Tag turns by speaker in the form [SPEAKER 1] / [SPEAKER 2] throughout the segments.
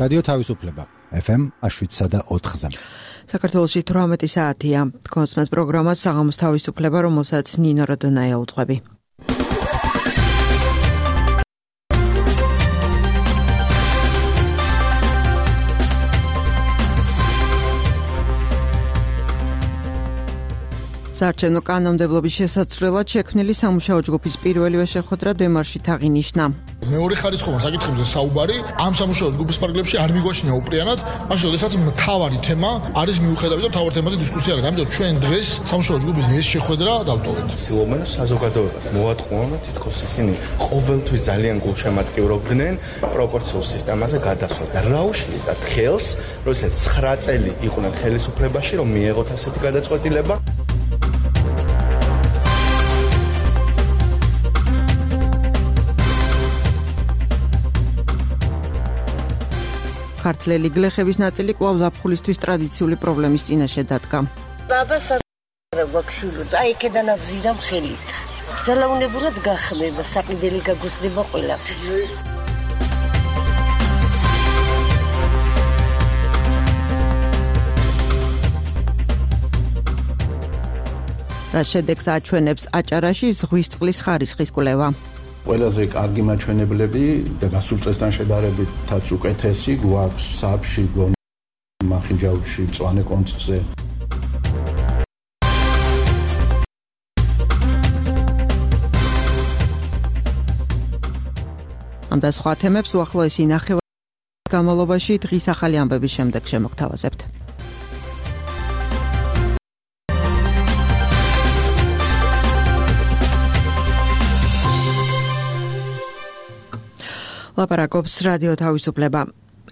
[SPEAKER 1] რადიო თავისუფლება FM 7.4-ზე.
[SPEAKER 2] საქართველოში 18 საათია. კონსმენს პროგრამა საღამოს თავისუფლება, რომელსაც ნინო როდონაია უძღვები. საარჩევნო კანონმდებლობის შესაძლებლად შექმნილი სამუშაო ჯგუფის პირველივე შეხვედრა დემარშით აღინიშნა.
[SPEAKER 3] მეორე ხარისხოვან საკითხებზე საუბარი ამ სამუშაო ჯგუფის პარაგრაფში არ მიგვაჩნია უპრიანად, მაშინ როდესაც მთავარი თემა არის მიუხედავი და მთავარი თემაზე დისკუსია არის. ამიტომ ჩვენ დღეს სამუშაო ჯგუფის ეს შეხვედრა დავტოვეთ.
[SPEAKER 4] ცდილობენ საზოგადოებად მოვატყუონ, თითქოს ისინი ყოველთვის ძალიან გულშემატკივრობდნენ პროპორციულ სისტემაზე გადასვლას და რა უშლიათ ხელს, როდესაც 9 წელი იყვნენ ხელისუფლებაში, რომ მიეღოთ ასეთი გადაწყვეტილება.
[SPEAKER 2] ქართველი გლეხების ნაწილი კვლავ ზაფხულისთვის ტრადიციული პრობლემის წინაშე დადგა.
[SPEAKER 5] ბაბას გვაქშულო და იქიდან აღზირა ხელით. ძალაუნებურად გახმება, საყიდელი გაგუსდება ყველაფერი. რა შედეგს აჩვენებს აჭარაში ზღვის წყლის ხარისხის კვლევა.
[SPEAKER 6] ყველაზე კარგი მაჩვენებლები და გასულ წელთან შედარებითაც უკეთესი გვაქვს საფში, მახინჯაურში, მწვანე კონცხზე.
[SPEAKER 2] ამ და სხვა თემებს უახლოესი ნახევრის განმავლობაში დღის ახალი ამბების შემდეგ შემოგთავაზებთ. ლაპარაკობს რადიო თავისუფლება.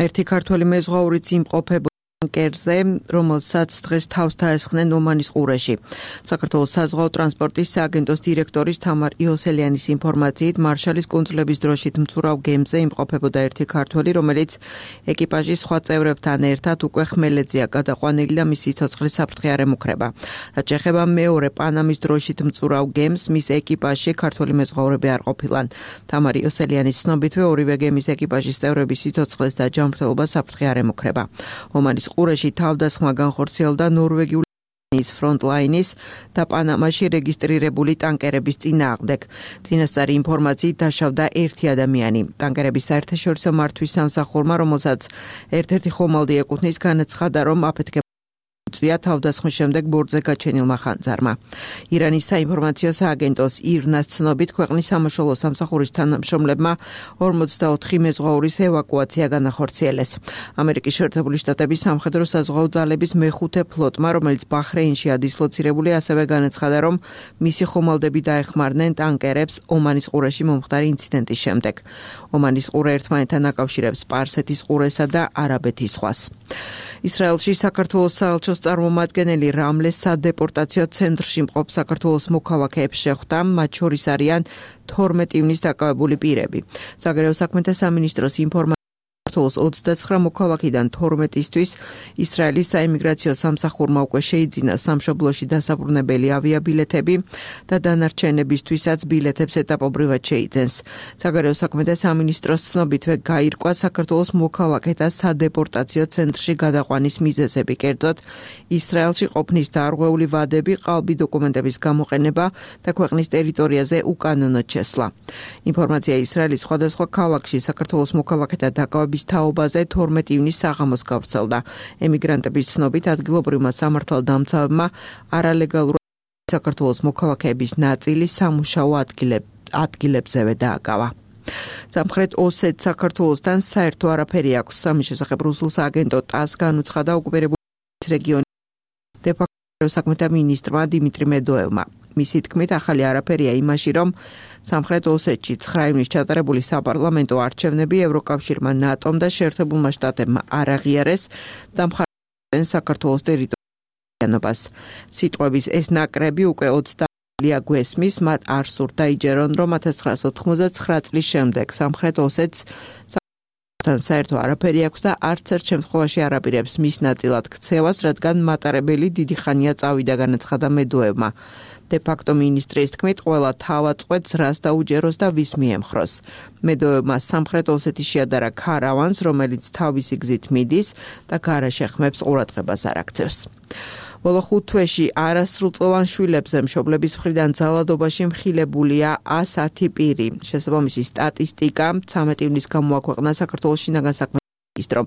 [SPEAKER 2] ერთი ქართველი მეზღვაურიც იმყოფება ტანკერზე, რომელსაც დღეს თავს დაესხნენ ომანის ყურეში. საქართველოს საზღვაო ტრანსპორტის სააგენტოს დირექტორის თამარ იოსელიანის ინფორმაციით, მარშალის კუნძულების დროშით მცურავ გემზე იმყოფებოდა ერთი ქართველი, რომელიც ეკიპაჟის სხვა წევრებთან ერთად უკვე ხმელეთზეა გადაყვანილი და მისი სიცოცხლის საფრთხე არ ემუქრება. რაც შეეხება მეორე პანამის დროშით მცურავ გემს, მის ეკიპაჟში ქართველი მეზღვაურები არ ყოფილან. თამარ იოსელიანის ცნობითვე ორივე გემის ეკიპაჟის წევრების სიცოცხლეს და ჯანმრთელობას საფრთხე არ ემუქრება. ომანის ყურეში თავდასხმა განხორციელდა ნორვეგიული ფრონტლაინის და პანამაში რეგისტრირებული ტანკერების წინააღმდეგ. წინასწარი ინფორმაციით დაშავდა ერთი ადამიანი. ტანკერების საერთაშორისო მართვის სამსახურმა, რომელსაც ერთ-ერთი ხომალდი ეკუთვნის, განაცხადა, რომ აფეთქება წვია თავდასხმის შემდეგ ბორტზე გაჩენილმა ხანძარმა. ირანის საინფორმაციო სააგენტოს ირნას ცნობით, ქვეყნის სამაშველო სამსახურის თანამშრომლებმა 44 მეზღვაურის ევაკუაცია განახორციელეს. ამერიკის შეერთებული შტატების სამხედრო საზღვაო ძალების მეხუთე ფლოტმა, რომელიც ბაჰრეინში ადისლოცირებული, ასევე განაცხადა, რომ მისი ხომალდები დაეხმარნენ ტანკერებს ომანის ყურეში მომხდარი ინციდენტის შემდეგ. ომანის ყურე ერთმანეთთან აკავშირებს სპარსეთის ყურესა და არაბეთის ზღვას. ისრაელში საქართველოს საელჩოს წარმომადგენელი რამლეს სადეპორტაციო ცენტრში მყოფ საქართველოს მოქალაქეებს შეხვდა, მათ შორის არიან 12 ივნის დაკავებული პირები. საგარეო საქმეთა სამინისტროს ინფორმაციით, საქართველოს 29 მოქალაქიდან 12-ისთვის ისრაელის საიმიგრაციო სამსახურმა უკვე შეიძინა სამშობლოში დასაბრუნებელი ავიაბილეთები და დანარჩენებისთვისაც ბილეთებს ეტაპობრივად შეიძენს. საგარეო საქმეთა სამინისტროს ცნობითვე გაირკვა საქართველოს მოქალაქეთა სადეპორტაციო ცენტრში გადაყვანის მიზეზები, კერძოდ ისრაელში ყოფნის დარღვეული ვადები, ყალბი დოკუმენტების გამოყენება და ქვეყნის ტერიტორიაზე უკანონოდ შესვლა. ინფორმაცია ისრაელის სხვადასხვა ქალაქში საქართველოს მოქალაქეთა დაკავების თაობაზე 12 ივნის საღამოს გავრცელდა. ემიგრანტების ცნობით, ადგილობრივმა სამართალდამცავებმა არალეგალურად საქართველოს მოქალაქეების ნაწილი სამუშაო ადგილებზევე დააკავა. სამხრეთ ოსეთ საქართველოსთან საერთო არაფერი აქვს. სამის შესახებ რუსულ სააგენტო ტას განუცხადა ოკუპირებული რეგიონის დე-ფაქტო საქმეთა მინისტრმა დიმიტრი მედოევმა. მისი თქმით, ახალი არაფერია იმაში, რომ სამხრეთ ოსეთში 9 ივნის ჩატარებული საპარლამენტო არჩევნები ევროკავშირმა, ნატომ და შეერთებულმა შტატებმა არ აღიარეს და მხარს საქართველოს ტერიტორიას. სიტყვების ეს ნაკრები უკვე 20 გვესმის, მათ არ სურთ დაიჯერონ, რომ 1989 წლის შემდეგ სამხრეთ ოსეთს თან საერთო არაფერი აქვს და არც ერთ შემთხვევაში არ აპირებს მის ნაწილად ქცევას, რადგან მატარებელი დიდი ხანია წავიდა, განაცხადა მედოევმა. დე-ფაქტო მინისტრის თქმით, ყველა თავაწყვეტს რას დაუჯეროს და ვის მიემხროს. მედოებმა სამხრეთ ოსეთის შეადარა ქარავანს, რომელიც თავისი გზით მიდის და გარეშე ხმებს ყურადღებას არ აქცევს. ბოლო 5 თვეში არასრულწლოვან შვილებზე მშობლების მხრიდან ძალადობაში მხილებულია 110 პირი. შესაბამისი სტატისტიკა 13 ივნის გამოაქვეყნა საქართველოს შინაგან საქმეთა ministrom.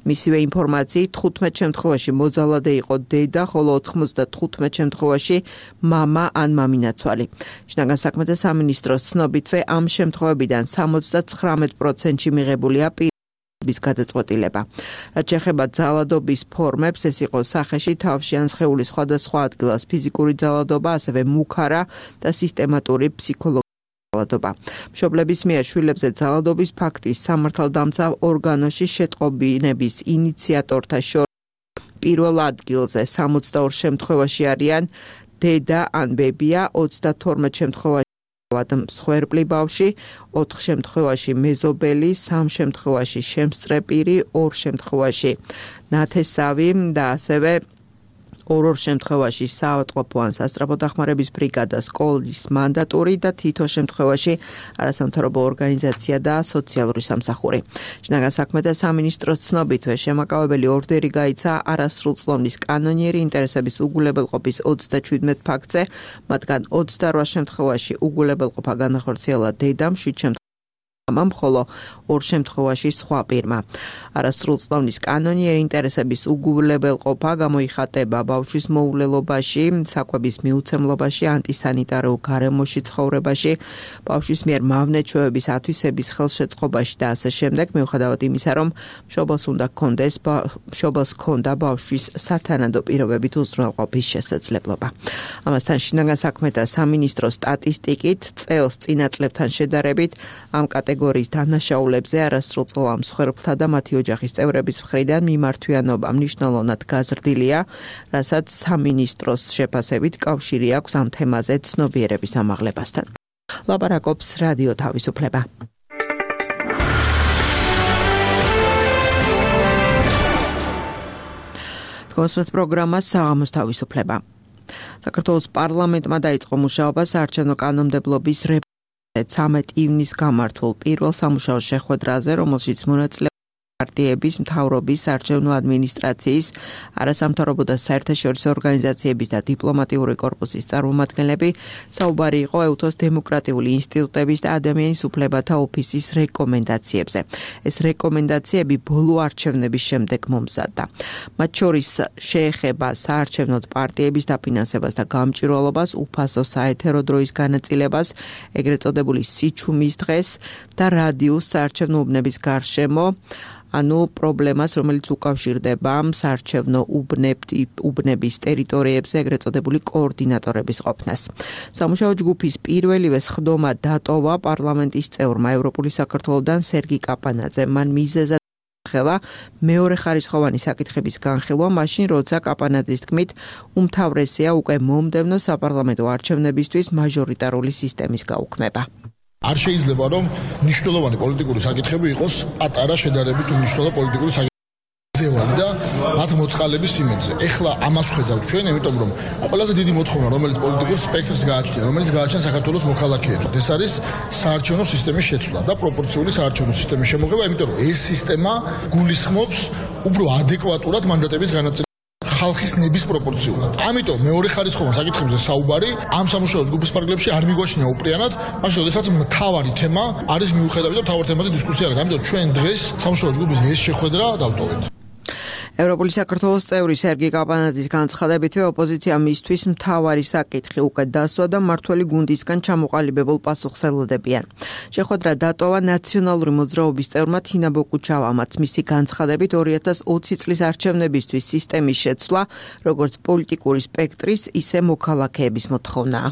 [SPEAKER 2] მისივე ინფორმაციით 15 შემთხვევაში მოძალადე იყო დედა, ხოლო 95 შემთხვევაში მამა ან მამინაცვალი. შინაგან საქმეთა სამინისტროს ცნობითვე ამ შემთხვევებიდან 79%-ში მიღებულია პირის გადაწყვეტილება. რაც შეეხება ძალადობის ფორმებს, ეს იყო სახეში, თავში ან სხეულის სხვადასხვა ადგილას ფიზიკური ძალადობა, ასევე მუქარა და სისტემატური ფსიქოლოგიური ძალადობა. მშობლების მიერ შვილებზე ძალადობის ფაქტის სამართალდამცავ ორგანოში შეტყობინების ინიციატორთა შორის პირველ ადგილზე 62 შემთხვევაში არიან დედა ან ბებია, 32 შემთხვევაში მსხვერპლი ბავშვი, 4 შემთხვევაში მეზობელი, 3 შემთხვევაში შემსწრეპირი, 2 შემთხვევაში ნათესავი და ასევე 2 შემთხვევაში საავადმყოფო ან სასწრაფო დახმარების ბრიგადა, სკოლის მანდატური და თითო შემთხვევაში არასამთავრობო ორგანიზაცია და სოციალური სამსახური. შინაგან საქმეთა სამინისტროს ცნობითვე შემაკავებელი ორდერი გაიცა არასრულწლოვნის კანონიერი ინტერესების უგულებელყოფის 37 ფაქტზე, მათგან 28 შემთხვევაში უგულებელყოფა განახორციელა დედამ, 7 შემთხვევაში მამამ, ხოლო 2 შემთხვევაში სხვა პირმა. არასრულწლოვნის კანონიერი ინტერესების უგულებელყოფა გამოიხატება ბავშვის მოულელობაში, საკვების მიუცემლობაში, ანტისანიტარულ გარემოში ცხოვრებაში, ბავშვის მიერ მავნე-ჩვევების ათვისების ხელშეწყობაში და ასე შემდეგ, მიუხედავად იმისა, რომ მშობელს ჰქონდა ბავშვის სათანადო პირობებით უზრუნველყოფის შესაძლებლობა. ამასთან შინაგან საქმეთა სამინისტროს სტატისტიკით წელს წინა წლებთან შედარებით ამ კატეგორიის დანაშაულებზე არასრულწლოვან მსხვერპლთა და მათი ოჯახის წევრების მხრიდან მიმართვიანობა მნიშვნელოვნად გაზრდილია, რასაც სამინისტროს შეფასებით კავშირი აქვს ამ თემაზე ცნობიერების ამაღლებასთან. ლაპარაკობს რადიო თავისუფლება. კონსულტ პროგრამა საღამოს თავისუფლება. საქართველოს პარლამენტმა დაიწყო მუშაობა საარჩევნო კანონმდებლობის 13 ივნის გამართულ პირველ სამუშაო შეხვედრაზე, რომელშიც მონაწილეობდნენ პარტიების, მთავრობის, საარჩევნო ადმინისტრაციის, არასამთავრობო და საერთაშორისო ორგანიზაციების და დიპლომატიური კორპუსის წარმომადგენლები. საუბარი იყო ეუთოს დემოკრატიული ინსტიტუტების და ადამიანის უფლებათა ოფისის რეკომენდაციებზე. ეს რეკომენდაციები ბოლო არჩევნების შემდეგ მომზადდა. მათ შორის შეეხება საარჩევნოდ პარტიების დაფინანსებას და გამჭვირვალობას, უფასო საეთერო დროის განაწილებას, ეგრეთ წოდებული სიჩუმის დღეს და რადიუს საარჩევნო უბნების გარშემო, ანუ პრობლემას, რომელიც უკავშირდება საარჩევნო უბნების ტერიტორიებზე, ეგრეთ წოდებული კოორდინატორების ყოფნას. სამუშაო ჯგუფის პირველივე სხდომა დატოვა პარლამენტის წევრმა ევროპული საქართველოდან სერგი კაპანაძემ. მან მიზეზად ხელა მეორე ხარისხოვანი საკითხების განხილვა, მაშინ როცა კაპანაძის თქმით უმთავრესია უკვე მომდევნო საპარლამენტო არჩევნებისთვის მაჟორიტარული სისტემის გაუქმება.
[SPEAKER 3] არ შეიძლება რომ მნიშვნელოვანი პოლიტიკური საკითხები იყოს პატარა შედარებით უმნიშვნელო პოლიტიკური საკითხები და მათ მოწყალების იმედზე. ეხლა ამას ხედავთ ჩვენ, იმიტომ რომ ყველაზე დიდი მოთხოვნა, რომელიც პოლიტიკურ სპექტრს გააჩნია, რომელიც გააჩნია საქართველოს მოქალაქეებს, ეს არის საარჩევნო სისტემის შეცვლა და პროპორციული საარჩევნო სისტემის შემოღება, იმიტომ რომ ეს სისტემა გულისხმობს უფრო ადეკვატურად მანდატების განაწილებას ხალხის ნების პროპორციულად. ამიტომ მეორე ხარისხოვან საკითხებზე საუბარი ამ სამუშაო ჯგუფის პარკლებში არ მიგვაჩნია უპრიანად, მაშინ როდესაც მთავარი თემა არის მიუხედავი და მთავარ თემაზე დისკუსია არის. ამიტომ ჩვენ დღეს სამუშაო ჯგუფის ეს შეხვედრა დავტოვეთ.
[SPEAKER 2] ევროპული საქართველოს წევრი სერგი კაპანაძის განცხადებითვე ოპოზიცია მისთვის მთავარი საკითხი უკვე დასვა და მმართველი გუნდისგან ჩამოყალიბებულ პასუხს ელოდებიან. შეხვედრა დატოვა ნაციონალური მოძრაობის წევრმა თინა ბოკუჩავამაც. მისი განცხადებით 2020 წლის არჩევნებისთვის სისტემის შეცვლა, როგორც პოლიტიკური სპექტრის, ისე მოქალაქეების მოთხოვნაა.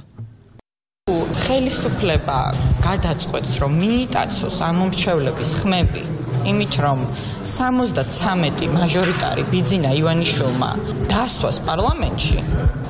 [SPEAKER 7] ხელისუფლება გადაწყვეტს, რომ მიიტაცოს ამ მომრჩევლების ხმები, იმით რომ 73 მაჟორიტარი ბიძინა ივანიშვილმა დასვას პარლამენტში,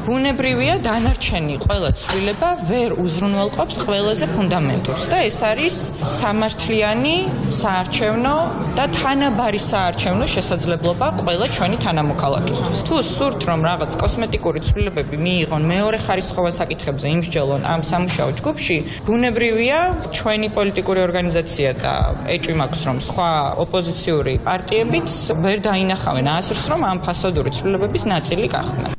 [SPEAKER 7] ბუნებრივია დანარჩენი ყველა ცვლილება ვერ უზრუნველყოფს ყველაზე ფუნდამენტურს და ეს არის სამართლიანი, საარჩევნო და თანაბარი საარჩევნო შესაძლებლობა ყველა ჩვენი თანამოქალაქისთვის. თუ სურთ რომ რაღაც კოსმეტიკური ცვლილებები მიიღონ მეორე ხარისხოვან საკითხებზე იმსჯელონ ამ სამუშაო ჯგუფში, ბუნებრივია ჩვენი პოლიტიკური ორგანიზაცია და ეჭვი მაქვს რომ სხვა ოპოზიციური პარტიებიც ვერ დაინახავენ ასრს რომ ამ ფასადური ცვლილებების ნაწილი გახდნენ.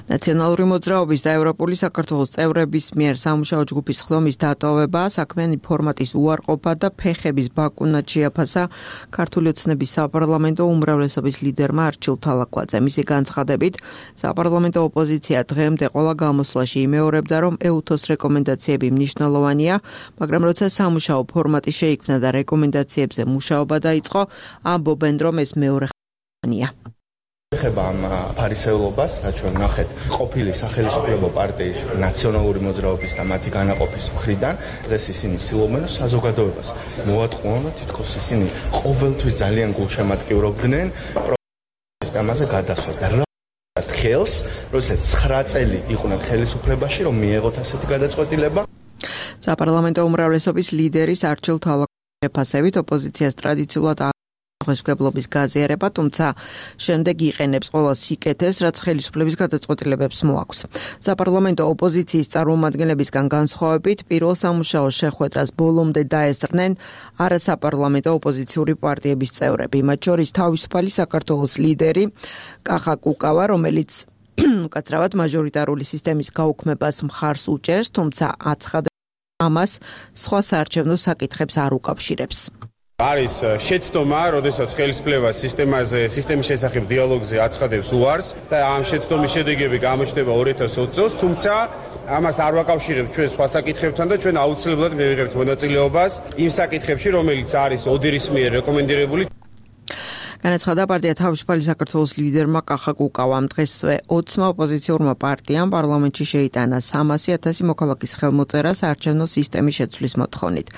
[SPEAKER 2] ნაციონალური მოძრაობის და ევროპული საქართველოს წევრების მიერ სამუშაო ჯგუფის ხდომის დატოვება, საქმიანი ფორმატის უარყოფა და ფეხების ბაკუნად შეაფასა ქართული ოცნების საპარლამენტო უმრავლესობის ლიდერმა არჩილ თალაკვაძე. მისი განცხადებით, საპარლამენტო ოპოზიცია დღემდე ყველა გამოსვლაში იმეორებდა, რომ EUTOS რეკომენდაციები მნიშვნელოვანია, მაგრამ როცა სამუშაო ფორმატი შეიქმნა და რეკომენდაციებზე მუშაობა დაიწყო, ამბობენ, რომ ეს მეორე ხანია.
[SPEAKER 4] ეხება ამ ფარისეულობას, რაც ჩვენ ნახეთ ყოფილი სახელმწიფო პარტიის ნაციონალური მოძრაობის და მათი განაყოფის მხრიდან, დღეს ისინი ცდილობენ საზოგადოებას მოატყუონ, თითქოს ისინი ყოველთვის ძალიან გულშემატკივრობდნენ პროგრამაზე გადასვლას და რა ხელს, როდესაც 9 წელი იყვნენ ხელისუფლებაში, რომ მიეღოთ ასეთი გადაწყვეტილება.
[SPEAKER 2] საპარლამენტო უმრავლესობის ლიდერის არჩილ თალაკვაძის შეფასებით ოპოზიციას ტრადიციულად ხელისუფლების გაზიარება, თუმცა შემდეგ იყენებს ყველა სიკეთეს, რაც ხელისუფლების გადაწყვეტილებებს მოაქვს. საპარლამენტო ოპოზიციის წარმომადგენლებისგან განსხვავებით, პირველ სამუშაო შეხვედრას ბოლომდე დაესწრნენ არასაპარლამენტო ოპოზიციური პარტიების წევრები, მათ შორის თავისუფალი საქართველოს ლიდერი კახა კუკავა, რომელიც უკაცრავად მაჟორიტარული სისტემის გაუქმებას მხარს უჭერს, თუმცა აცხადებს ამას სხვა საარჩევნო საკითხებს არ უკავშირებს.
[SPEAKER 8] არის შეცდომა, როდესაც ხელისუფლება სისტემის შესახებ დიალოგზე აცხადებს უარს და ამ შეცდომის შედეგები გამოჩნდება 2020 წელს, თუმცა ამას არ ვაკავშირებთ ჩვენ სხვა საკითხებთან და ჩვენ აუცილებლად მივიღებთ მონაწილეობას იმ საკითხებში, რომელიც არის ოდირის მიერ რეკომენდირებული.
[SPEAKER 2] განაცხადა პარტია თავისუფალი საქართველოს ლიდერმა კახა კუკავამ. დღესვე 20 ოპოზიციურმა პარტიამ პარლამენტში შეიტანა 300,000 მოქალაქის ხელმოწერა საარჩევნო სისტემის შეცვლის მოთხოვნით.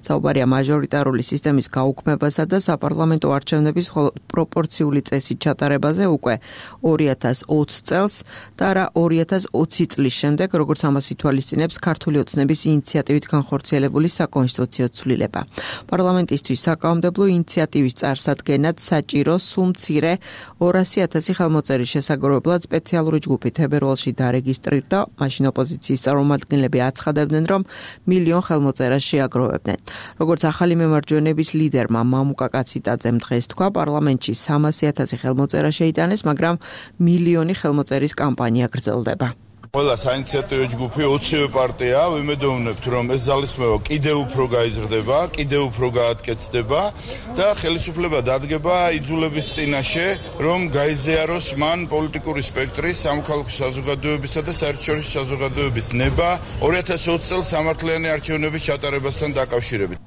[SPEAKER 2] საუბარია მაჟორიტარული სისტემის გაუქმებასა და საპარლამენტო არჩევნების პროპორციული წესით ჩატარებაზე უკვე 2020 წელს და არა 2020 წლის შემდეგ, როგორც ამას ითვალისწინებს ქართული ოცნების ინიციატივით განხორციელებული საკონსტიტუციო ცვლილება. პარლამენტისთვის საკანონმდებლო ინიციატივის წარსადგენად საჭირო სულ მცირე 200,000 ხელმოწერის შესაგროვებლად სპეციალური ჯგუფი თებერვალში დარეგისტრირდა, მაშინ ოპოზიციის წარმომადგენლები აცხადებდნენ, რომ 1,000,000 ხელმოწერას შეაგროვებდნენ. როგორც ახალი მემარჯვენეების ლიდერმა მამუკა კაციტაძემ დღეს თქვა, პარლამენტში 300,000 ხელმოწერა შეიტანეს, მაგრამ 1,000,000 ხელმოწერის კამპანია გრძელდება.
[SPEAKER 9] ყველა საინიციატივო ჯგუფი 20 პარტია, ვიმედოვნებთ, რომ ეს ძალისხმევა კიდევ უფრო გაიზრდება, კიდევ უფრო გაატკეცდება და ხელისუფლება დადგება იძულების წინაშე, რომ გაიზიაროს მან პოლიტიკური სპექტრის, სამოქალაქო საზოგადოებისა და საერთაშორისო საზოგადოების ნება 2020 წელს სამართლიანი არჩევნების ჩატარებასთან დაკავშირებით.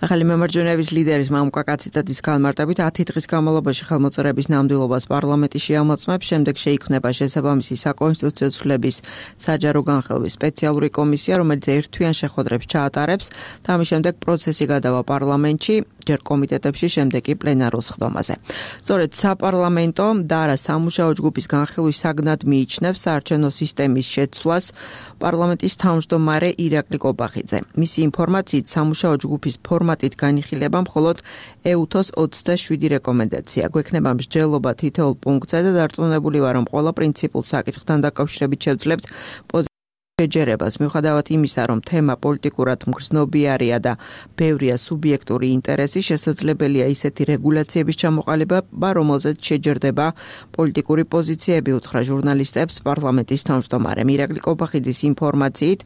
[SPEAKER 2] ახალი მემარჯვენეების ლიდერის მამუკა კაციტაძის განმარტებით 10 დღის განმავლობაში ხელმოწერების ნამდვილობას პარლამენტი შეამოწმებს, შემდეგ შეიქმნება შესაბამისი საკონსტიტუციო ცვლილების საჯარო განხილვის სპეციალური კომისია, რომელიც ერთთვიან შეხვედრებს ჩაატარებს და ამის შემდეგ პროცესი გადავა პარლამენტში, ჯერ კომიტეტებში, შემდეგ კი პლენარულ სხდომაზე. სწორედ საპარლამენტო და არა სამუშაო ჯგუფის განხილვის საგნად მიიჩნევს საარჩევნო სისტემის შეცვლას პარლამენტის თავმჯდომარე ირაკლი კობახიძე. მისი ინფორმაციით სამუშაო ჯგუფის ფორმატით განიხილება მხოლოდ EUTOS 27 რეკომენდაცია. გვექნება მსჯელობა თითოეულ პუნქტზე და დარწმუნებული ვარ, რომ ყველა პრინციპულ საკითხთან დაკავშირებით შევძლებთ შეჯერებას. მიუხედავად იმისა, რომ თემა პოლიტიკურად მგრძნობიარია და ბევრია სუბიექტური ინტერესი, შესაძლებელია ისეთი რეგულაციების ჩამოყალიბება, რომელზეც შეჯერდება პოლიტიკური პოზიციები, უთხრა ჟურნალისტებს პარლამენტის თავმჯდომარემ. ირაკლი კობახიძის ინფორმაციით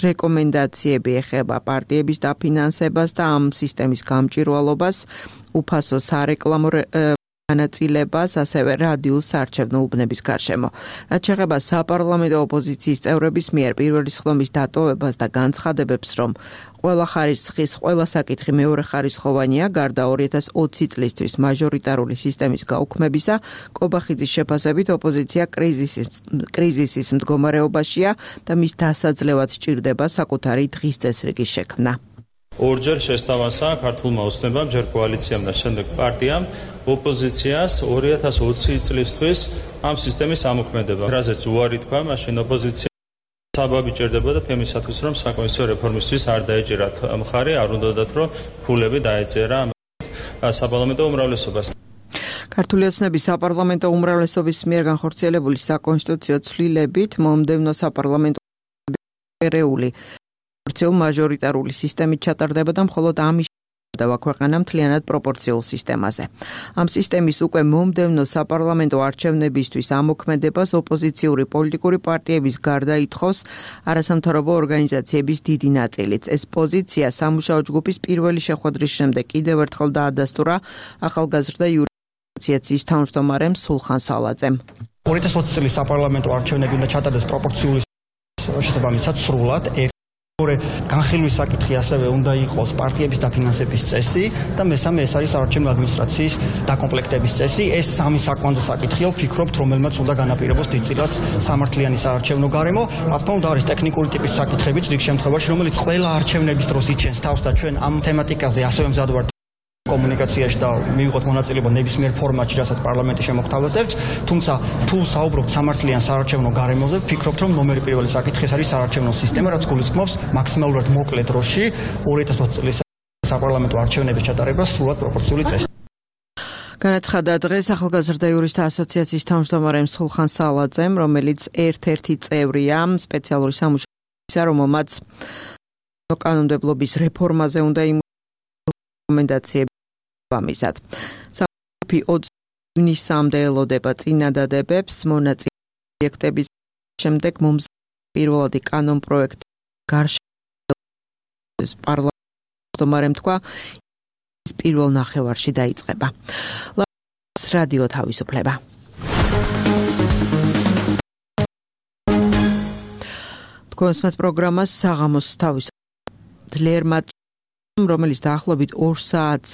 [SPEAKER 2] რეკომენდაციები ეხება პარტიების დაფინანსებას და ამ სისტემის გამჭვირვალობას, უფასო სარეკლამო განაწილებას, ასევე რადიულ საარჩევნო უბნების გარშემო. რაც შეეხება საპარლამენტო ოპოზიციის წევრების მიერ პირველი სხდომის დატოვებას და განცხადებებს, რომ ყველა ხარისხის ყველა საკითხი მეორე ხარისხოვანია, გარდა 2020 წლისთვის მაჟორიტარული სისტემის გაუქმებისა, კობახიძის შეფასებით ოპოზიცია კრიზისის მდგომარეობაშია და მის დასაძლევად სჭირდება საკუთარი დღის წესრიგის შექმნა.
[SPEAKER 10] ორჯერ შესთავაზა ქართულმა ოცნებამ, ჯერ კოალიციამ და შემდეგ პარტიამ ოპოზიციას 2020 წლისთვის ამ სისტემის ამოქმედება. რაზეც უარი თქვა, მაშინ ოპოზიცია საბაბი ჭირდებოდა თემისათვის, რომ საკონსტიტუციო რეფორმისთვის არ დაეჭირათ მხარი, არ უნდათ, რომ ფულები დაეწერა საპარლამენტო უმრავლესობას.
[SPEAKER 2] ქართული ოცნების საპარლამენტო უმრავლესობის მიერ განხორციელებული საკონსტიტუციო ცვლილებით მომდევნო საპარლამენტო ერეული მაჟორიტარული სისტემით ჩატარდებოდა, მხოლოდ ამის შედება ქვეყანა მთლიანად პროპორციულ სისტემაზე. ამ სისტემის უკვე მომდევნო საპარლამენტო არჩევნებისთვის ამოქმედებას ოპოზიციური პოლიტიკური პარტიების გარდა ითხოვს არასამთავრობო ორგანიზაციების დიდი ნაწილიც. ეს პოზიცია სამუშაო ჯგუფის პირველი შეხვედრის შემდეგ კიდევ ერთხელ დაადასტურა ახალგაზრდა ასოციაციის თავმჯდომარემ სულხან სალაძემ.
[SPEAKER 11] 2020 წლის საპარლამენტო არჩევნები უნდა ჩატარდეს პროპორციული შესაბამისად სრულად. განხილვის საკითხი ასევე უნდა იყოს პარტიების დაფინანსების წესი და მესამე ეს არის საარჩევნო ადმინისტრაციის დაკომპლექტების წესი. ეს სამი საკვანძო საკითხია, ვფიქრობთ, რომელმაც უნდა განაპირობოს დიდწილად სამართლიანი საარჩევნო გარემო. რა თქმა უნდა, არის ტექნიკური ტიპის საკითხებიც რიგ შემთხვევაში, რომელიც ყველა არჩევნების დროს იჩენს თავს და ჩვენ ამ თემატიკაზე ასევე მზად ვართ კომუნიკაციაში და მივიღოთ მონაწილეობა ნებისმიერ ფორმატში, რასაც პარლამენტი შემოგთავაზებთ, თუმცა თუ საუბრობთ სამართლიან საარჩევნო გარემოზე, ვფიქრობთ, რომ ნომერი პირველი საკითხი ეს არის საარჩევნო სისტემა, რაც გულისხმობს მაქსიმალურად მოკლე დროში 2020 წლის საპარლამენტო არჩევნების ჩატარებას სრულად პროპორციული წესით.
[SPEAKER 2] განაცხადა დღეს ახალგაზრდა იურისტთა ასოციაციის თავმჯდომარემ სულხან სალაძემ, რომელიც ერთ-ერთი წევრია სპეციალური სამუშაოისა, რომელმაც კანონმდებლობის რეფორმაზე უნდა რეკომენდაციები ამისად. სამი 20 ივნისამდე ელოდება წინადადებებს მონაწილე პროექტების შემდეგ პირველადი კანონ პროექტი გარშემო პარლამენტომ თქვა პირველ ნახევარში დაიწყება. რადიო თავისუფლება. თქვენს პროგრამას საღამოს თავისუფლება ძლიერმა რომელიც დაახლოებით 2 საათს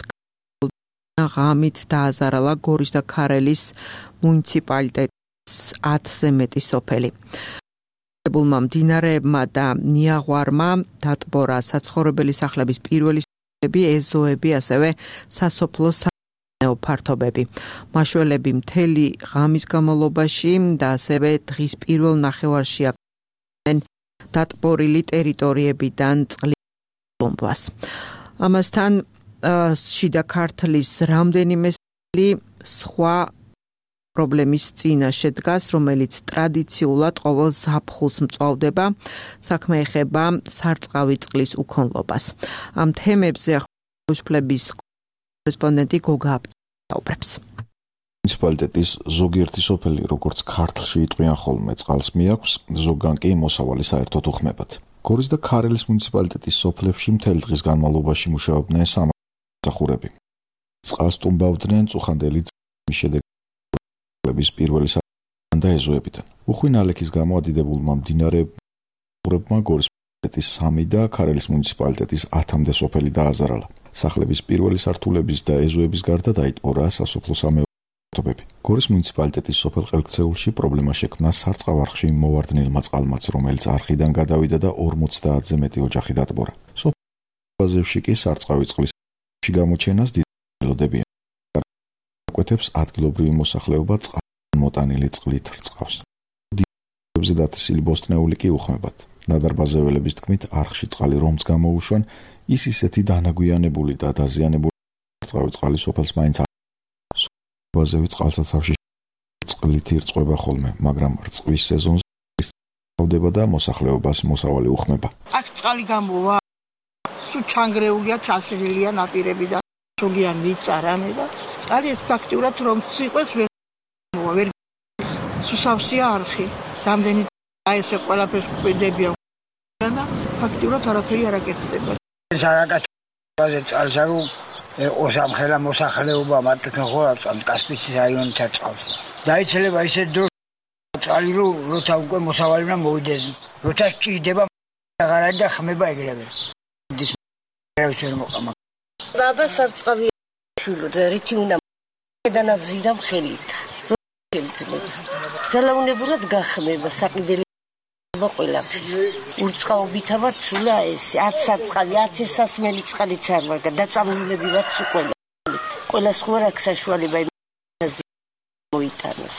[SPEAKER 2] ღამით დააზარალა გორის და ქარელის მუნიციპალიტეტის 10-ზე მეტი სოფელი. ებულმა მდინარეებმა და ნიაღვარმა დატბორა საცხოვრებელი სახლების პირველი სახლები, ეზოები, ასევე სასოფლო სამეურნეო ფართობები. მაშველები მთელი ღამის განმავლობაში და ასევე დღის პირველ ნახევარში აკეთებდნენ დატბორილი ტერიტორიებიდან წყლის ბომბას. ამასთან შიდა ქართლის რამდენიმე სხვა პრობლემის წინაშე დგას, რომელიც ტრადიციულად ყოველ ზაფხულს მწვავდება, საქმე ეხება სარწყავი წყლის უქონლობას. ამ თემებზე ახალგაზრდების კორესპონდენტი გოგა აბწაუბრებს.
[SPEAKER 12] მუნიციპალიტეტის ზოგიერთი სოფელი, როგორც ქართლში იტყვიან ხოლმე, წყალს მიაქვს, ზოგან კი მოსავალი საერთოდ უხმებათ. გორის და ქარელის მუნიციპალიტეტის სოფლებში მთელი დღის განმავლობაში მუშაობდნენ სამსახურები. წყალს ტუმბავდნენ წუხანდელი შედეგების პირველი და ეზოებიდან. უხვი ნალექის გამო ადიდებულმა მდინარეებმა გორის მუნიციპალიტეტის 3 და ქარელის მუნიციპალიტეტის 10-მდე სოფელი დააზარალა. სახლების პირველი სართულების და ეზოების გარდა დაიტბორა სასოფლო სამეურნეო ფართობები. გორის მუნიციპალიტეტის სოფელ ყელქცეულში პრობლემა შექმნა სარწყავ არხში მოვარდნილმა წყალმაც, რომელიც არხიდან გადავიდა და 50-ზე მეტი ოჯახი დატბორა. სოფელში კი სარწყავი წყლის გამოჩენას დიდი ელოდებიან. კვეთებს ადგილობრივი მოსახლეობა წყალმოტანილი წყლით რწყავს. დილებზე დათესილი ბოსტნეული კი უხმებათ. ნადარბაზეველების თქმით, არხში წყალი რომც გამოუშვან, ის ისეთი დანაგვიანებული და დაზიანებული სარწყავი წყალი სოფელს მაინც ბაზევი წყალსაცავში წყლით ირწყვება ხოლმე, მაგრამ რწყვის სეზონზე სწავდება და მოსახლეობას მოსავალი უხმება.
[SPEAKER 13] აქ წყალი გამოვა, სულ ჩანგრეულია, ჩაშლილია ნაპირები და სულიან მიწარამე და წყალი ფაქტიურად რომ სიყვეს ვერ სუსავსია არხი. რამდენი აი ეს ყველაფერს ყვიდებია და ფაქტიურად არაფერი არ აკეთდება. ზარაკაც წყალს
[SPEAKER 14] ოსამხელა მოსახლეობა მარტო ხორაც ამ კასპიის რაიონით აწყავს. დაიცლება ისეთ დროს წყალი როცა უკვე მოსავალი უნდა მოვიდეს. როცა ჭირდება აღარ და ხმება ეგრევე.
[SPEAKER 15] ბაბა საფწყავი შულო და რითი უნდა დანავზირა ხელით. ძალაუნებურად გახმება საყიდელი ყველაფერი. ურწყაობითა ვარ სულა ეს 10 საწყალი 10 სასმელი წყალიც არ ვარ და დაწამულები ვარ სულ ყველა სხვა აქ საშუალება მოიტანოს.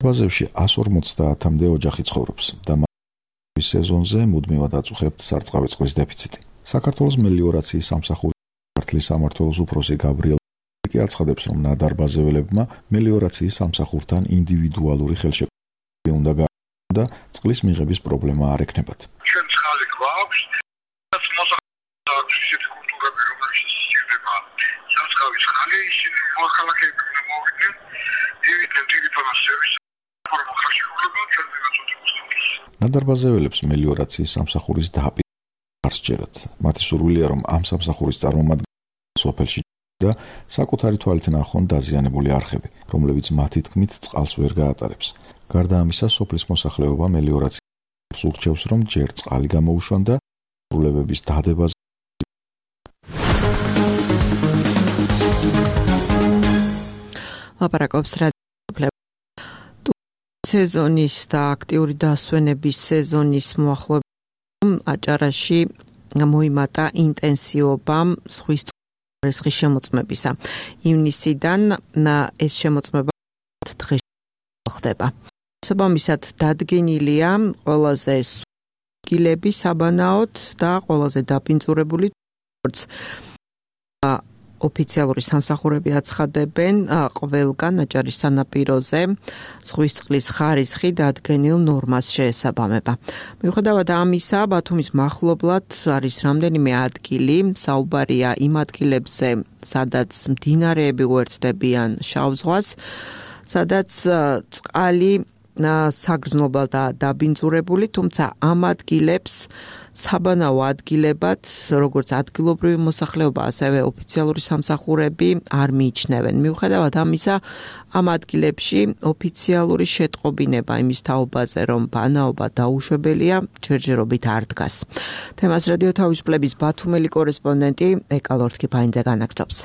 [SPEAKER 12] ბაზებში 150-მდე ოჯახი ცხოვრობს და მის სეზონზე მუდმივად აწუხებთ სარწყავი წყლის დეფიციტი. საქართველოს მელიორაციის სამსახურის ქართლის სამმართველოს უფროსი გაბრიელ კი აცხადებს, რომ ნადარბაზეველებმა მელიორაციის სამსახურთან ინდივიდუალური ხელშეკრულება უნდა გააკეთონ და წყლის მიღების პრობლემა არ ექნებათ.
[SPEAKER 16] ჩვენ წყალი გვაქვს, რაც მოსახლეობის ისეთი კულტურები, რომელშიც სჭირდება სარწყავი წყალი, ისინი მოახალახებენ და მოვიდნენ, ივიდნენ ტელეფონის სერვისს, ფორმა ხელშეკრულება ჩვენ მივაწოდებს.
[SPEAKER 12] ნადარბაზეველებს მელიორაციის სამსახურის დაპირება არ სჯერათ. მათი სურვილია, რომ ამ სამსახურის წარმომადგენლები სოფელში და საკუთარი თვალით ნახონ დაზიანებული არხები, რომლებიც მათი თქმით წყალს ვერ გაატარებს. გარდა ამისა, სოფლის მოსახლეობა მელიორაციას ურჩევს, რომ ჯერ წყალი გამოუშვან და სრულებების დადებაზე
[SPEAKER 2] ლაპარაკობს სეზონის და აქტიური დასვენების სეზონის მოახლოებით აჭარაში მოიმატა ინტენსივობამ ზღვის ხარისხის შემოწმებისა. ივნისიდან ეს შემოწმება დღეს ხდება. საბამისად დადგენილია ყველაზე სულგილები საბანაოდ და ყველაზე დაბინძურებული როგორც ოფიციალური სამსახურები აცხადებენ ყველგან აჭარის სანაპიროზე ზღვის წყლის ხარისხი დადგენილ ნორმას შეესაბამება. მიუხედავად ამისა, ბათუმის მახლობლად არის რამდენიმე ადგილი, საუბარია იმ ადგილებზე, სადაც მდინარეები უერთდებიან შავ ზღვას, სადაც წყალი საგრძნობლად და დაბინძურებული, თუმცა ამ ადგილებს საბანაო ადგილებად, როგორც ადგილობრივი მოსახლეობა, ასევე ოფიციალური სამსახურები არ მიიჩნევენ. მიუხედავად ამისა, ამ ადგილებში ოფიციალური შეტყობინება იმის თაობაზე, რომ ბანაობა დაუშვებელია, ჯერჯერობით არ დგას. თემას რადიო თავისუფლების ბათუმელი კორესპონდენტი ეკალორთ კიფაინძე განაგრძობს.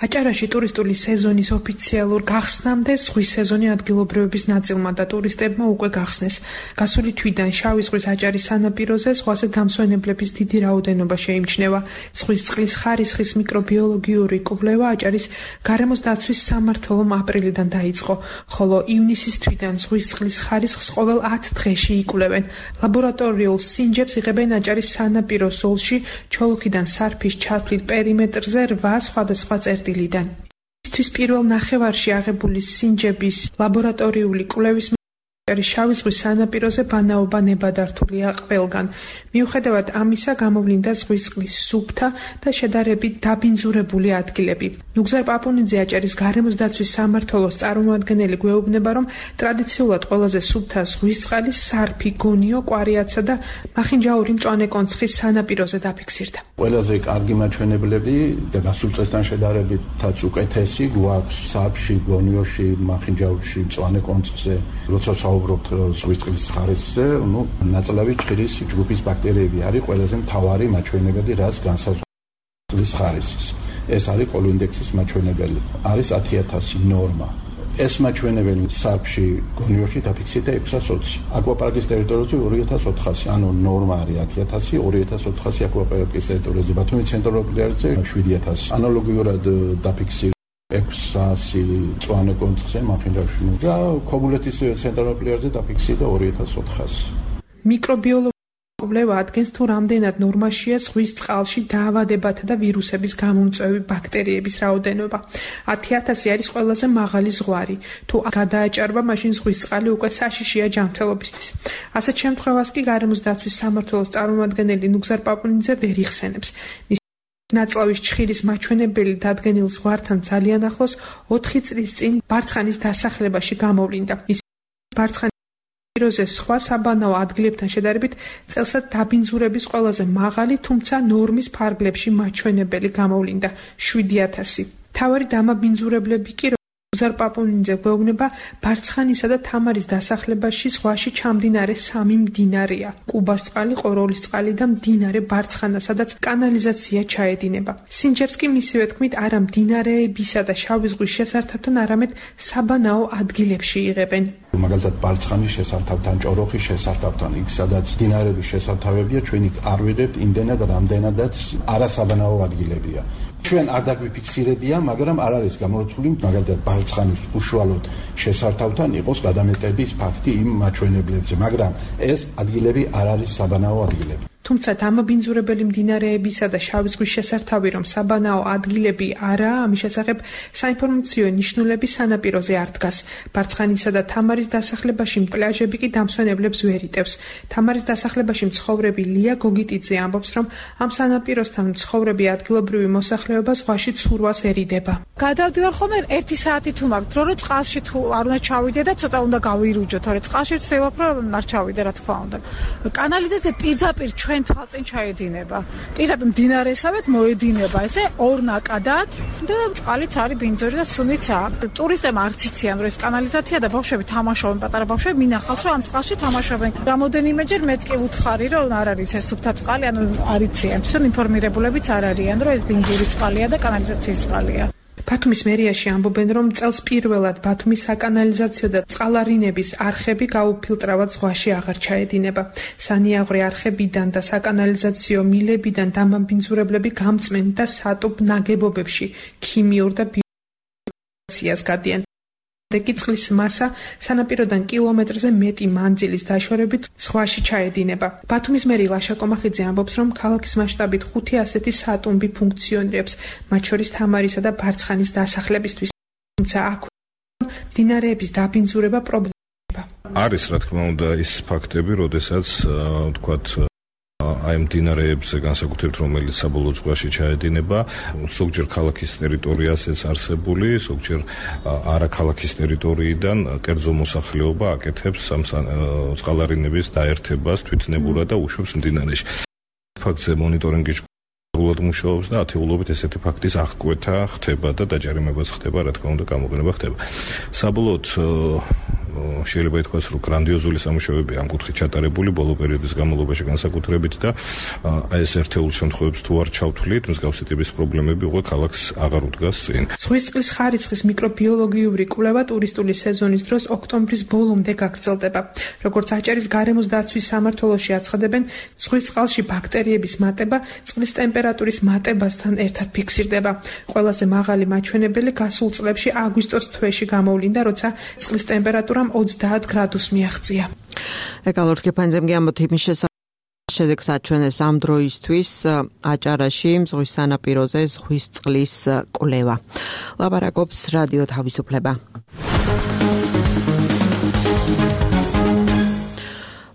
[SPEAKER 17] აჭარაში ტურისტული სეზონის ოფიციალურ გახსნამდე ზღვის სეზონი ადგილობრივების ნაწილმა და ტურისტებმა უკვე გახსნეს. გასული თვიდან შავი ზღვის აჭარის სანაპიროზე ზღვაზე დამსვენებლების დიდი რაოდენობა შეიმჩნევა. ზღვის წყლის ხარისხის მიკრობიოლოგიური კვლევა აჭარის გარემოს დაცვის სამმართველომ აპრილიდან დაიწყო, ხოლო ივნისის თვიდან ზღვის წყლის ხარისხს ყოველ 10 დღეში იკვლევენ. ლაბორატორიულ სინჯებს იღებენ აჭარის სანაპირო ზოლში, ჩოლოქიდან სარფის ჩათვლით პერიმეტრზე 8 სხვადასხვა წერტილიდან. ისთვის პირველ ნახევარში აღებული სინჯების ლაბორატორიული კვლევის შავი ზღვის სანაპიროზე ბანაობა ნებადართულია ყველგან. მიუხედავად ამისა, გამოვლინდა ზღვის წყლის სუფთა და შედარებით დაბინძურებული ადგილები. ნუგზარ პაპუნიძე აჭარის გარემოს დაცვის სამმართველოს წარმომადგენელი გვეუბნება, რომ ტრადიციულად ყველაზე სუფთა ზღვის წყალი სარფი, გონიო, კვარიაცა და მახინჯაური მწვანე კონცხის სანაპიროზე დაფიქსირდა.
[SPEAKER 6] ყველაზე კარგი მაჩვენებლები და გასულ წელთან შედარებითაც უკეთესი გვაქვს სარფში, გონიოში, მახინჯაურში, მწვანე კონცხზე, როცა საუბრობთ ზღვის წყლის ხარისხზე, ნაწლავი ჭირის ჯგუფის ბაქტერიები არის ყველაზე მთავარი მაჩვენებელი, რაც განსაზღვრავს წყლის ხარისხს. ეს არის კოლოინდექსის მაჩვენებელი. არის 10000 ნორმა. ეს მაჩვენებელი სარფში, გონიოში დაფიქსირდა 620. აკვაპარკის ტერიტორიაზე 2400, ანუ ნორმა არის 10000, 2400 აკვაპარკის ტერიტორიაზე, ბათუმის ცენტრალურ პლაჟზე 7000. ანალოგიურად დაფიქსირდა 600 მწვანე კონცხზე მახინჯაურში და ქობულეთის ცენტრალურ პლაჟზე დაფიქსირდა 2400.
[SPEAKER 17] მიკრობიოლოგიური კვლევა ადგენს თუ რამდენად ნორმაშია ზღვის წყალში დაავადებათა და ვირუსების გამომწვევი ბაქტერიების რაოდენობა. 10000 არის ყველაზე მაღალი ზღვარი. თუ გადააჭარბა, მაშინ ზღვის წყალი უკვე საშიშია ჯანმრთელობისთვის. ასეთ შემთხვევას კი გარემოს დაცვის სამმართველოს წარმომადგენელი ნუგზარ პაპუნიძე ვერ იხსენებს. ნაწლავის ჩხირის მაჩვენებელი დადგენილ ზღვართან ძალიან ახლოს 4 წლის წინ ბარცხანის დასახლებაში გამოვლინდა. პიროზე სხვა საბანაო ადგილებთან შედარებით წელსაც დაბინძურების ყველაზე მაღალი, თუმცა ნორმის ფარგლებში მაჩვენებელი გამოვლინდა 7000. თავარი დამაბინძურებლები კი უზარ პაპუნიძე გვეუბნება ბარცხანისა და თამარის დასახლებაში ზღვაში ჩამდინარე 3 მდინარეა: კუბას წყალი, ყოროლის წყალი და მდინარე ბარცხანა, სადაც კანალიზაცია ჩაედინება. სინჯებს კი მისივე თქმით არა მდინარეებისა და შავი ზღვის შესართავთან, არამედ საბანაო ადგილებში იღებენ.
[SPEAKER 6] მაგალითად ბარცხანის შესართავთან, ჭოროხის შესართავთან, იქ სადაც მდინარეების შესართავებია, ჩვენ იქ არ ვიღებთ იმდენად, რამდენადაც არასაბანაო ადგილებია. ჩვენ არ დაგვიფიქსირებია, მაგრამ არ არის გამორიცხული მაგალითად ბარცხანის უშუალოდ შესართავთან იყოს გადამეტების ფაქტი იმ მაჩვენებლებზე, მაგრამ ეს ადგილები არ არის საბანაო ადგილები.
[SPEAKER 17] თუმცა დამაბინძურებელი მდინარეებისა და შავი ზღვის შესართავი რომ საბანაო ადგილები არაა, ამის შესახებ საინფორმაციო ნიშნულები სანაპიროზე არ დგას. ბარცხანისა და თამარის დასახლებაში პლაჟები კი დამსვენებლებს ვერ იტევს. თამარის დასახლებაში მცხოვრები ლია გოგიტიძე ამბობს, რომ ამ სანაპიროსთან მცხოვრები ადგილობრივი მოსახლეობა ზღვაში ცურვასერიდება.
[SPEAKER 18] გადავდივარ ხოლმე 1 საათი თუ მაქვს, რომ წყალში თუ არ უნდა ჩავიდე და ცოტა უნდა გავირუჯო, თორე წყალში ვცდილობ რომ არ ჩავიდე, რა თქმა უნდა. კანალიზაცია პირდაპირ ჩვენ თვალწინ ჩაედინება. პირდაპირ მდინარესავეთ მოედინება ესე ორ ნაკადად და წყალიც არის ბინძური და სუნიცაა. ტურისტებმა არც იციან რომ ეს კანალიზაცია და ბავშვები თამაშობენ, პატარა ბავშვები მინახავს რომ ამ წყალში თამაშობენ. რამოდენიმეჯერ მეც კი ვუთხარი რომ არ არის ეს სუფთა წყალი, ანუ არ იციან. თვითონ ინფორმირებულებიც არ არიან რომ ეს ბინძური წყალია და კანალიზაციის წყალია.
[SPEAKER 17] ბათუმის მერიაში ამბობენ, რომ წელს პირველად ბათუმის საკანალიზაციო და წყალარინების არხები გაუფილტრავად ზღვაში აღარ ჩაედინება. სანიაღვრე არხებიდან და საკანალიზაციო მილებიდან დამაბინძურებლები გამწმენ და სატუბ ნაგებობებში ქიმიურ და ბიოლოგიას გადიან. რეკი წყლის მასა სანაპიროდან კილომეტრზე მეტი მანძილის დაშორებით ზღვაში ჩაედინება. ბათუმის მერი ლაშა კომახიძე ამბობს, რომ ქალაქის მასშტაბით 5 ასეთი სატუმბი ფუნქციონირებს, მათ შორის თამარისა და ბარცხანის დასახლებისთვის. თუმცა აქ მდინარეების დაბინძურება პრობლემაა.
[SPEAKER 19] არის რა თქმა უნდა ის ფაქტები, როდესაც ვთქვათ აი მდინარეებზე განსაკუთრებით რომელიც საბოლოო ზღვაში ჩაედინება, ზოგჯერ ქალაქის ტერიტორიაზეც არსებული, ზოგჯერ არა ქალაქის ტერიტორიიდან კერძო მოსახლეობა აკეთებს ამ წყალარინების დაერთებას თვითნებურად და უშვებს მდინარეში. ფაქტზე მონიტორინგი სრულად მუშაობს და ათეულობით ესეთი ფაქტის აღკვეთა ხდება და დაჯარიმებაც ხდება, რა თქმა უნდა გამოყენება ხდება. საბოლოოდ შეიძლება ითქვას, რომ გრანდიოზული სამუშაოები ამ კუთხით ჩატარებული ბოლო პერიოდის განმავლობაში განსაკუთრებით და ეს ერთეულ შემთხვევებს თუ არ ჩავთვლით, მსგავსი ტიპის პრობლემები უკვე ქალაქს აღარ უდგას წინ.
[SPEAKER 17] ზღვის წყლის ხარისხის მიკრობიოლოგიური კვლევა ტურისტული სეზონის დროს ოქტომბრის ბოლომდე გაგრძელდება. როგორც აჭარის გარემოს დაცვის სამმართველოში აცხადებენ, ზღვის წყალში ბაქტერიების მატება წყლის ტემპერატურის მატებასთან ერთად ფიქსირდება. ყველაზე მაღალი მაჩვენებელი გასულ წლებში აგვისტოს თვეში გამოვლინდა, როცა წყლის ტემპერატურა 30 გრადუსს მიაღწია.
[SPEAKER 2] ეკალორთ გეფანძემგე ამბობთ იმის შედეგს აჩვენებს ამ დროისთვის აჭარაში ზღვის სანაპიროზე ზღვის წყლის კვლევა. ლაპარაკობს რადიო თავისუფლება.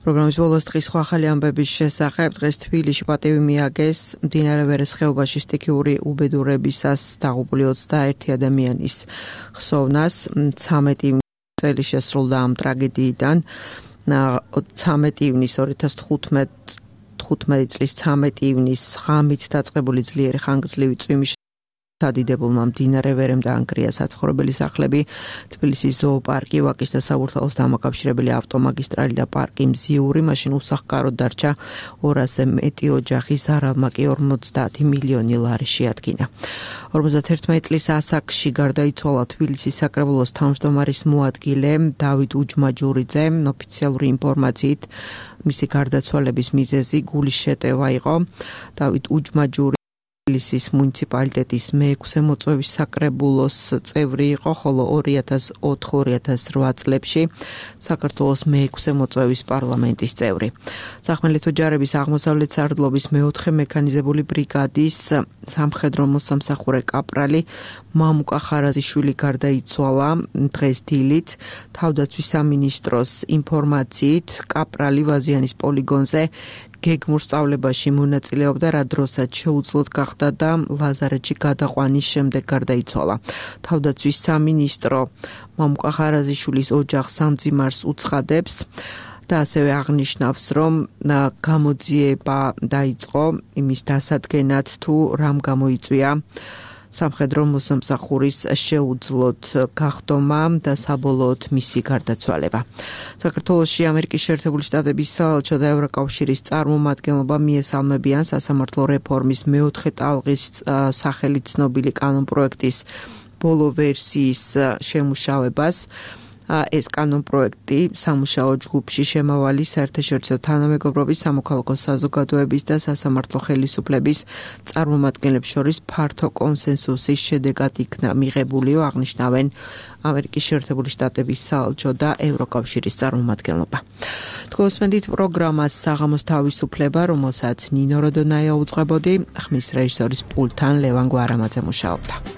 [SPEAKER 2] პროგრამის ბოლოს დღის სხვა ახალი ამბების შესახებ. დღეს თბილისში პატივი მიაგეს მდინარე ვერეს ხეობაში სტიქიური უბედურებისას დაღუპული 21 ადამიანის ხსოვნას. 13 წელი შესრულდა ამ ტრაგედიიდან. 13 ივნის 2015 წლის 13 ივნის ღამით დაწყებული ძლიერი ხანგრძლივი წვიმის დადიდებულმა მდინარე ვერემ დაანგრია საცხოვრებელი სახლები, თბილისის ზოოპარკი, ვაკის და საბურთალოს დამაკავშირებელი ავტომაგისტრალი და პარკი მზიური, მაშინ უსახკაროდ დარჩა 200-ზე მეტი ოჯახი, ზარალმა კი 50 მილიონი ლარი შეადგინა. 51 წლის ასაკში გარდაიცვალა თბილისის საკრებულოს თავმჯდომარის მოადგილე დავით უჯმაჯურიძე. ოფიციალური ინფორმაციით მისი გარდაცვალების მიზეზი გულის შეტევა იყო. დავით უჯმაჯური თბილისის მუნიციპალიტეტის მე-6 მოწვევის საკრებულოს წევრი იყო, ხოლო 2004-2008 წლებში საქართველოს მე-6 მოწვევის პარლამენტის წევრი. სახმელეთო ჯარების აღმოსავლეთ სარდლობის მე-4 მექანიზებული ბრიგადის სამხედრო მოსამსახურე კაპრალი მამუკა ხარაზიშვილი გარდაიცვალა დღეს დილით. თავდაცვის სამინისტროს ინფორმაციით კაპრალი ვაზიანის პოლიგონზე გეგმურ სწავლებაში მონაწილეობდა, რა დროსაც შეუძლოდ გახდა და ლაზარეთში გადაყვანის შემდეგ გარდაიცვალა. თავდაცვის სამინისტრო მამუკა ხარაზიშვილის ოჯახს სამძიმარს უცხადებს. და ასევე აღნიშნავს, რომ გამოძიება დაიწყო იმის დასადგენად თუ რამ გამოიწვია სამხედრო მოსამსახურის შეუძლოდ გახდომა და საბოლოოდ მისი გარდაცვალება. საქართველოში ამერიკის შეერთებული შტატების საელჩო და ევროკავშირის წარმომადგენლობა მიესალმებიან სასამართლო რეფორმის მეოთხე ტალღის სახელით ცნობილი კანონპროექტის ბოლო ვერსიის შემუშავებას. ეს კანონპროექტი სამუშაო ჯგუფში შემავალი საერთაშორისო თანამეგობრობის, სამოქალაქო საზოგადოების და სასამართლო ხელისუფლების წარმომადგენლებს შორის ფართო კონსენსუსის შედეგად იქნა მიღებულიო, აღნიშნავენ ამერიკის შეერთებული შტატების საელჩო და ევროკავშირის წარმომადგენლობა. თქვენსმენდით პროგრამას საღამოს თავისუფლება, რომელსაც ნინო როდონაია უძღვებოდი, ხმის რეჟისორის პულტთან ლევან გვარამაძე მუშაობდა.